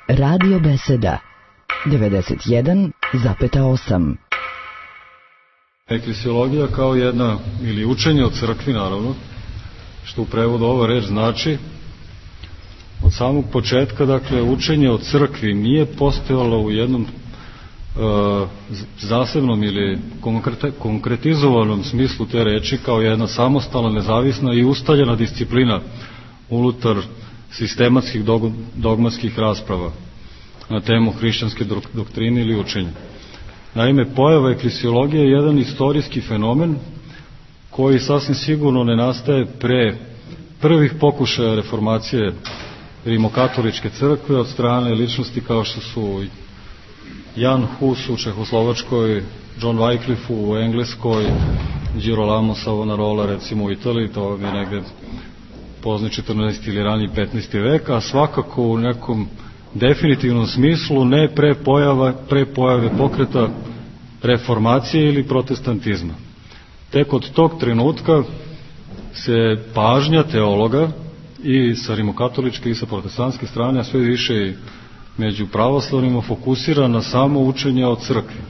Radio Beseda 91,8. Eklesiologija kao jedna, ili učenje o crkvi naravno, što u prevodu ova reč znači, od samog početka, dakle, učenje o crkvi nije postojalo u jednom zasebnom ili konkretizovanom smislu te reči kao jedna samostalna, nezavisna i ustaljena disciplina unutar sistematskih dogmatskih rasprava na temu hrišćanske doktrine ili učenja. Naime, pojava eklesiologije je jedan istorijski fenomen koji sasvim sigurno ne nastaje pre prvih pokušaja reformacije rimokatoličke crkve od strane ličnosti kao što su Jan Hus u Čehoslovačkoj, John Wycliffe u Engleskoj, Girolamo Savonarola recimo u Italiji, to je negde pozni 14. ili raniji 15. vek, a svakako u nekom definitivnom smislu ne pre pojave pokreta reformacije ili protestantizma. Tek od tog trenutka se pažnja teologa i sa rimokatoličke i sa protestantske strane, a sve više i među pravoslavnima, fokusira na samo učenje o crkvi.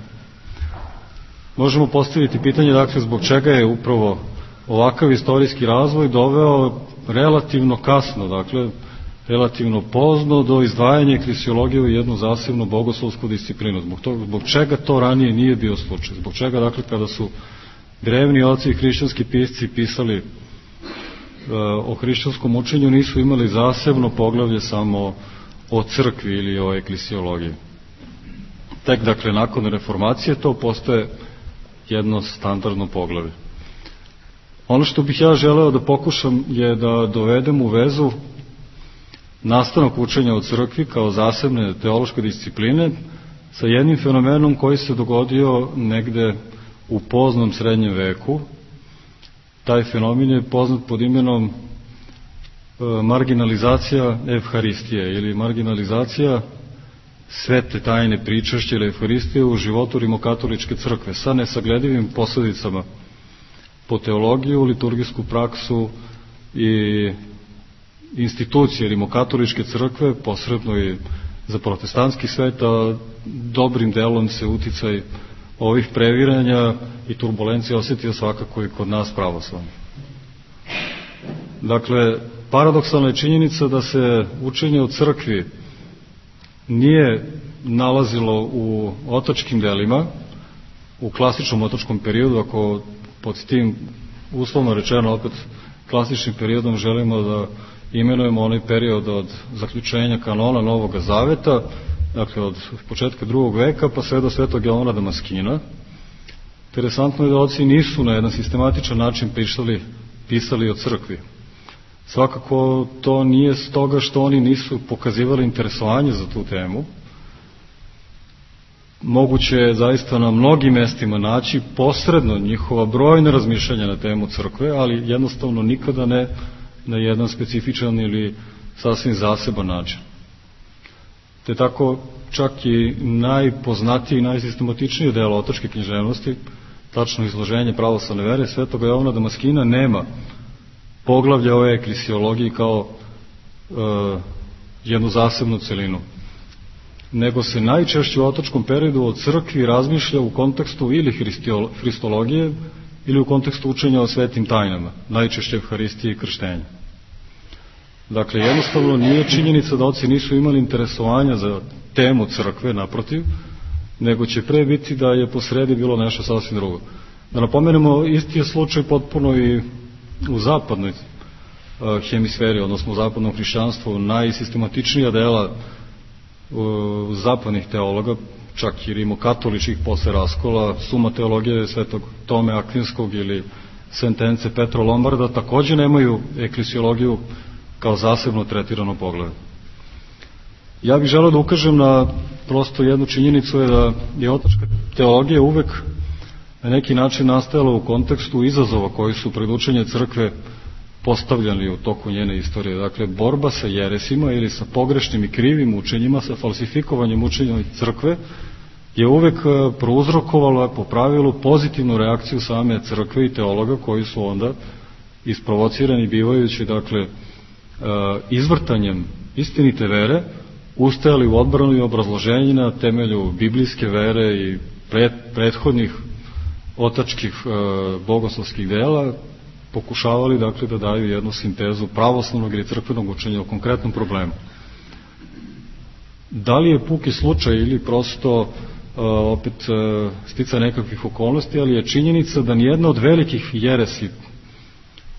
Možemo postaviti pitanje, dakle, zbog čega je upravo ovakav istorijski razvoj doveo relativno kasno, dakle, relativno pozno do izdvajanja eklesiologije u jednu zasebnu bogoslovsku disciplinu. Zbog čega to ranije nije bio slučaj? Zbog čega, dakle, kada su drevni oci i hrišćanski pisci pisali o hrišćanskom učenju, nisu imali zasebno poglavlje samo o crkvi ili o eklesiologiji. Tek, dakle, nakon reformacije to postaje jedno standardno poglavlje. Ono što bih ja želeo da pokušam je da dovedem u vezu nastanak učenja o crkvi kao zasebne teološke discipline sa jednim fenomenom koji se dogodio negde u poznom srednjem veku. Taj fenomen je poznat pod imenom marginalizacija evharistije ili marginalizacija svete tajne pričašće ili evharistije u životu rimokatoličke crkve sa nesagledivim posledicama po teologiju, liturgijsku praksu i institucije rimokatoličke crkve, posredno i za protestantski svet, a dobrim delom se uticaj ovih previranja i turbulencija osetio svakako i kod nas pravoslavnih. Dakle, paradoksalna je činjenica da se učenje o crkvi nije nalazilo u otačkim delima, u klasičnom otačkom periodu, ako pod tim uslovno rečeno opet klasičnim periodom želimo da imenujemo onaj period od zaključenja kanona Novog Zaveta, dakle od početka drugog veka pa sve do svetog Jovana Damaskina. Interesantno je da oci nisu na jedan sistematičan način pisali o crkvi. Svakako to nije stoga što oni nisu pokazivali interesovanje za tu temu. Moguće je zaista na mnogim mestima naći posredno njihova brojna razmišljanja na temu crkve, ali jednostavno nikada ne na jedan specifičan ili sasvim zaseban način. Te tako čak i najpoznatiji i najsistematičniji deo otačke književnosti, tačno izloženje pravoslavne vere svetog Jovana Damaskina, nema poglavlja ove eklesiologiji kao jednu zasebnu celinu, nego se najčešće u otačkom periodu o crkvi razmišlja u kontekstu ili hristologije ili u kontekstu učenja o svetim tajnama, najčešće evharistije i krštenja. Dakle, jednostavno nije činjenica da oci nisu imali interesovanja za temu crkve, naprotiv, nego će pre biti da je posredi bilo nešto sasvim drugo. Da napomenemo, isti je slučaj potpuno i u zapadnoj hemisferi, odnosno u zapadnom hrišćanstvu. Najsistematičnija dela zapadnih teologa, čak i rimokatoličkih posle raskola, Suma teologije svetog Tome Akvinskog ili Sentence Petra Lombarda, takođe nemaju eklesiologiju kao zasebno tretirano poglavlje. Ja bih želeo da ukažem na prosto jednu činjenicu, je da je otačka teologija uvek na neki način nastajala u kontekstu izazova koji su pred učenje crkve postavljani u toku njene istorije. Dakle, borba sa jeresima ili sa pogrešnim i krivim učenjima, sa falsifikovanjem učenja crkve je uvek prouzrokovala po pravilu pozitivnu reakciju same crkve i teologa koji su onda isprovocirani bivajući, dakle, izvrtanjem istinite vere ustajali u odbranu i obrazloženju na temelju biblijske vere i prethodnih otačkih bogoslovskih dela, pokušavali dakle da daju jednu sintezu pravoslavnog ili crkvenog učenja o konkretnom problemu. Da li je puki slučaj ili prosto opet stica nekakvih okolnosti, ali je činjenica da nijedna od velikih jeresi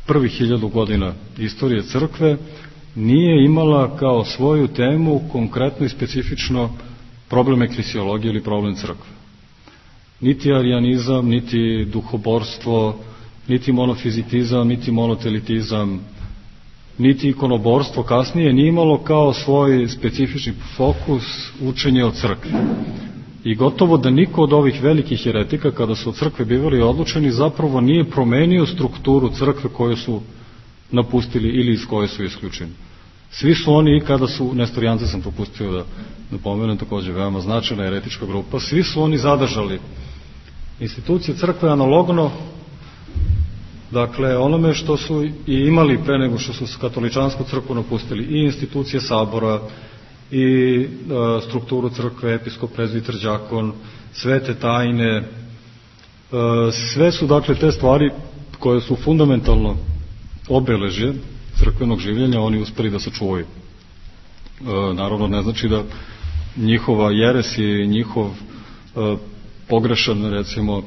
prvih 1000 godina istorije crkve nije imala kao svoju temu konkretno i specifično problem eklesiologije ili problem crkve. Niti arijanizam, niti duhoborstvo, niti monofizitizam, niti monotelitizam, niti ikonoborstvo kasnije nije imalo kao svoj specifični fokus učenje o crkvi. I gotovo da niko od ovih velikih heretika, kada su od crkve bivali odlučeni, zapravo nije promenio strukturu crkve koju su napustili ili iz koje su isključeni. Svi su oni, i kada su, nestorijance sam propustio da pomenem, takođe veoma značajna heretička grupa, svi su oni zadržali institucije crkve analogno, dakle, onome što su i imali pre nego što su katoličansku crkvu napustili, i institucije sabora, i strukturu crkve, episkop, prezbiter, đakon, svete tajne, sve su dakle te stvari koje su fundamentalno obeležje crkvenog življenja, oni uspeli da sačuvaju. Naravno, ne znači da njihova jeres i njihov pogrešan, recimo,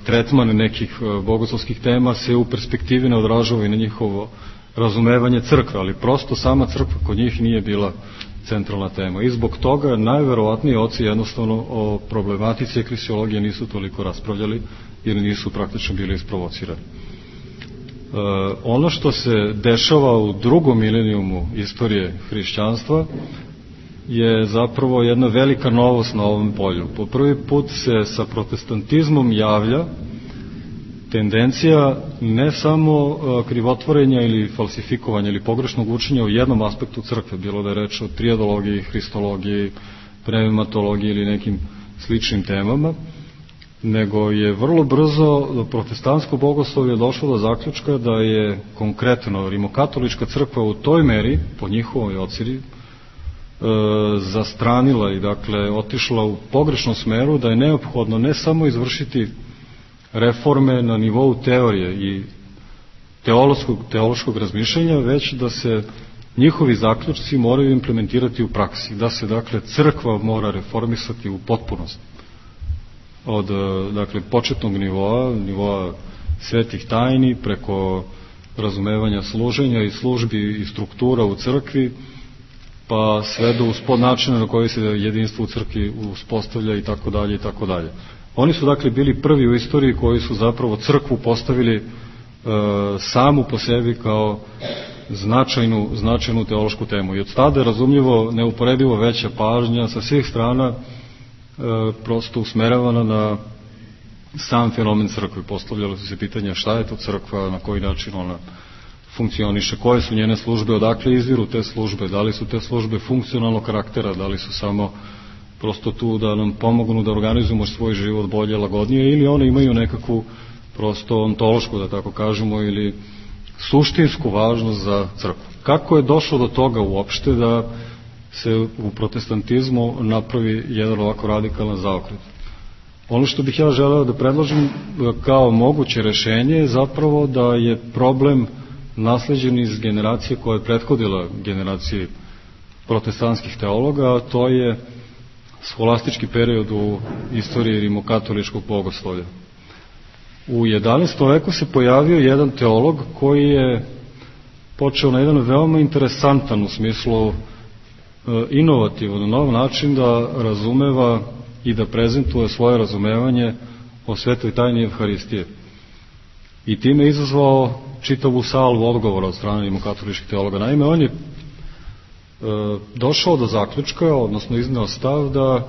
tretman nekih bogoslovskih tema se u perspektivi ne odražava i na njihovo razumevanje crkve, ali prosto sama crkva kod njih nije bila centralna tema. I zbog toga najverovatnije oci jednostavno o problematici eklesiologije nisu toliko raspravljali, jer nisu praktično bili isprovocirani. Ono što se dešava u drugom milenijumu istorije hrišćanstva je zapravo jedna velika novost na ovom polju. Po prvi put se sa protestantizmom javlja tendencija ne samo krivotvorenja ili falsifikovanja ili pogrešnog učenja u jednom aspektu crkve, bilo da je reč o triadologiji, hristologiji, pneumatologiji ili nekim sličnim temama, nego je vrlo brzo protestantsko bogoslovlje došlo do zaključka da je konkretno rimokatolička crkva u toj meri, po njihovoj ocjeni, zastranila i dakle otišla u pogrešnom smeru, da je neophodno ne samo izvršiti reforme na nivou teorije i teološkog razmišljanja, već da se njihovi zaključci moraju implementirati u praksi, da se dakle crkva mora reformisati u potpunosti. Od dakle početnog nivoa svetih tajni, preko razumevanja služenja i službi i struktura u crkvi, pa sve do uspod načina na koji se jedinstvo u crkvi uspostavlja i tako dalje i tako dalje. Oni su dakle bili prvi u istoriji koji su zapravo crkvu postavili samu po sebi kao značajnu teološku temu. I od tada je razumljivo neuporedivo veća pažnja sa svih strana prosto usmeravana na sam fenomen crkve. Postavljalo su se pitanja šta je to crkva, na koji način ona funkcioniše, koje su njene službe, odakle izviru te službe, da li su te službe funkcionalnog karaktera, da li su samo prosto tu da nam pomognu da organizujemo svoj život bolje, lagodnije, ili one imaju nekakvu prosto ontološku, da tako kažemo, ili suštinsku važnost za crkvu. Kako je došlo do toga uopšte da se u protestantizmu napravi jedan ovako radikalan zaokret? Ono što bih ja želeo da predložim kao moguće rešenje je zapravo da je problem nasleđen iz generacije koja je prethodila generaciji protestantskih teologa, a to je scholastički period u istoriji rimokatoličkog bogoslovlja. U 11. veku se pojavio jedan teolog koji je počeo na jedan veoma interesantan, u smislu inovativan, nov način da razumeva i da prezentuje svoje razumevanje o svetoj tajni Evharistije. I time je izazvao čitavu salvu odgovora od strane rimokatoličkih teologa. Naime, on je došao do zaključka, odnosno izneo stav da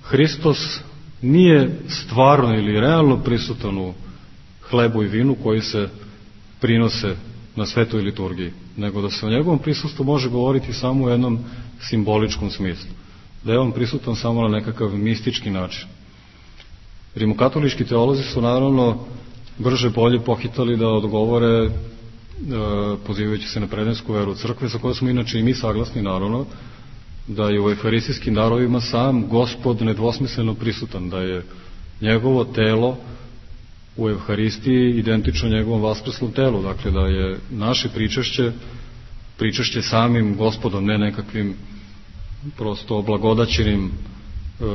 Hristos nije stvarno ili realno prisutan u hlebu i vinu koji se prinose na svetoj liturgiji, nego da se o njegovom prisustvu može govoriti samo u jednom simboličkom smislu, da je on prisutan samo na nekakav mistički način. Rimokatolički teolozi su naravno brže bolje pohitali da odgovore, pozivajući se na predansku veru crkve, sa kojoj smo inače i mi saglasni, naravno, da je u euharistijskim darovima sam Gospod nedvosmisleno prisutan, da je njegovo telo u Evharistiji identično njegovom vaskrslom telu, dakle da je naše pričašće samim Gospodom, ne nekakvim prosto oblagodaćenim